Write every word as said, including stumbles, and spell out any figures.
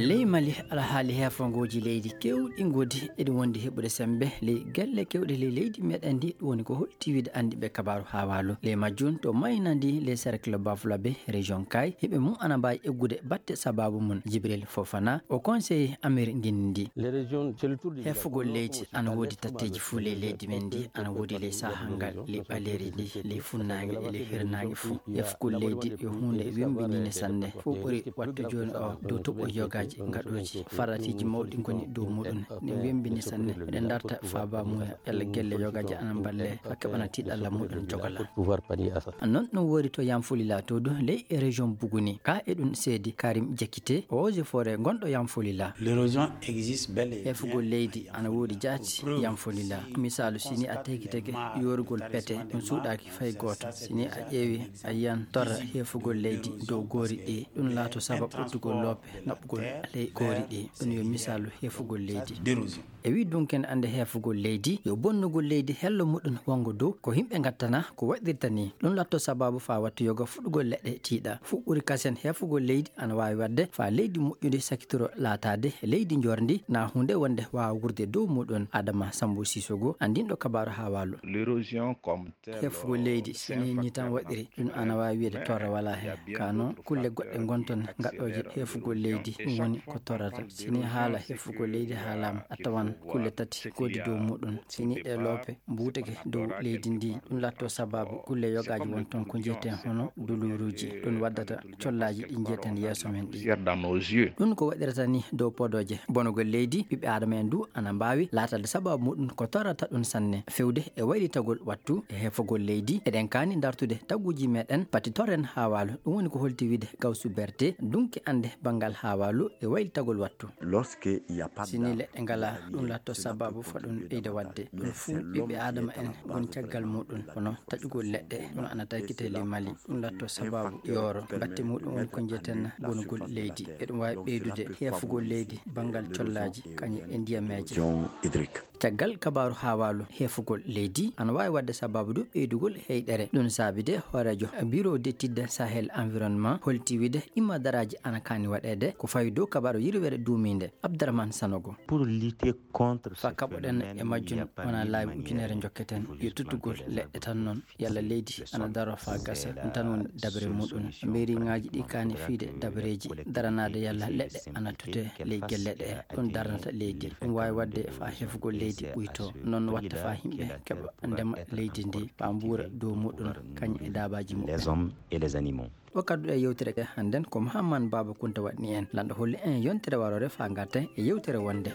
Ley Mali, alhaali heefagooji leydi keewɗi ngoodi eɗi wondi heɓude semmbe ley gelle keewɗe ley leydi meɗen ndi, ɗum woni ko holti wiide anndiiɓe kabaaru haawaalu. Ley majjum, to Mayina ndi, ley cercle Bafulabe, région Kay, yimɓe mum ana mbaawi eggude batte sabaabu mum. Jibril Fofana, o conseiller Amir Ngindi. Heefugol leydi ana woodi tatteeji fuu ley leydi men ndi, ana woodi ley sahangal, ley ɓaleeri ndi, ley funnaange e ley hirnaange fuu. Heefugol leydi yo huunde wemmbiniinde sanne. Fof ɓuri waɗde jooni o dow toɓo yogaaji ngaɗooji. Faratiiji mawɗi ngoni dow muɗum. Ɗum wemmbini sanne. Miɗen ndarta faabaamuya yalla gelle yogaaji ana mballe haa keɓana tiiɗalla muɗum jogola. Non ɗum woori to Yanfolila to du ley e région Buguni. Ka e ɗum seedi Karim Diakité, eaux et forêts gonɗo Yanfolila. Heefugol leydi ana woodi jaati Yanfolila. Misaalu, si ni a tagi tagi yoorugol pete, ɗum suuɗaaki fay gooto. Si ni a ƴeewi, a yiyan torra heefugol leydi dow goori ɗi, ɗum laato sabab ɓottugol loope naɓugol ley goori ɗi. Ɗum yo misaalu heefugol leydi. E wii dunken annde heefugol leydi, yo bonnugol leydi hello muɗum wongo dow, ko yimɓe ngattana, ko waɗirta ni. Ɗum latto sabaabu faa watta yoga fuɗugol leɗɗe tiiɗa. Fuɗɗude kasen heefugol leydi ana waawi waɗde faa leydi moƴƴude sakitoro laataade leydi njoorndi, na huunde wonde waawa wuurde dow muɗum. Adama Sambo Sisogo, anndinɗo kabaaru haawaalu. Heefugol leydi, so nii nii tan waɗiri, ɗum ana waawi wiyeede torra walaa heen. Kaa noon, kulle goɗɗe ngon toon gaɗooje heefugol leydi, ɗum woni ko torrata. So nii haala heefugol leydi haalaama, a tawan kulle tati ngoodi dow muɗum. So nii ɗee loope mbuutake dow leydi ndii, ɗum laatoo sabaabu kulle yogaaji won toon ko njiyeten hono duluuruuji. Ɗum waddata collaaji ɗi njiyeten yeeso men ɗii. Ɗum ko waɗirata nii dow podooje bonugol leydi, ɓiɓɓe aadama en duu ana mbaawi laataade sabaabu muɗum ko torrata ɗum sanne. Fewde e waylitagol wattu e heefugol leydi, eɗen kaani dartude taguuji meɗen, pati torren haawaalu. Ɗum woni ko holti wiide Gawsu Berte, dunki annde banngal haawaalu e waylitagol wattu. Si nii leɗɗe ngalaa, ɗum laatoo sabaabu faa ɗum ɓeyda waɗde. Ɗum fuu ɓiɓɓe aadama en ngoni caggal muɗum, kono taƴugol leɗɗe ɗum ana taykitee ley Mali. Ɗum laatoo sabaabu yooro. Batte muɗum woni ko njiyeten bonugol leydi. Eɗum waawi ɓeydude heefugol leydi banngal collaaji kañum e ndiyameeje. Caggal kabaaru haawaalu heefugol leydi ana waawi waɗde sabaabu du ɓeydugol heyɗere. Ɗum saabii de hooreejo Bureau d'études Sahel Environnement holti wiide ɗimma daraaji ana kaani waɗeede ko fawi dow kabaaru yirwere duumiinde. Abdarahmane Sanogo. Faa kaɓoɗen e majjum wonaa laawi ujunere njokketen, yo tuttugol leɗɗe tan non. Yalla leydi ana daroo faa gasa, ɗum tan woni dabere muɗum. Meeriŋaaji ɗi kaani fiyde dabareeji daranaade yalla leɗɗe ana tutee ley gelle ɗee, ɗum darnata leydi. Ɗum waawi waɗde faa heefugol leydi ɓuytoo, non watta faa yimɓe keɓa ndema leydi ndii, faa mbuura dow muɗum, kañum e daabaaji muɓɓen. Ɗo kadduɗe yewtere hannden ko Muhammad Baaba Kunta waɗni en. Lanɗo holli en yontere waroore faa ngarten e yewtere wonnde.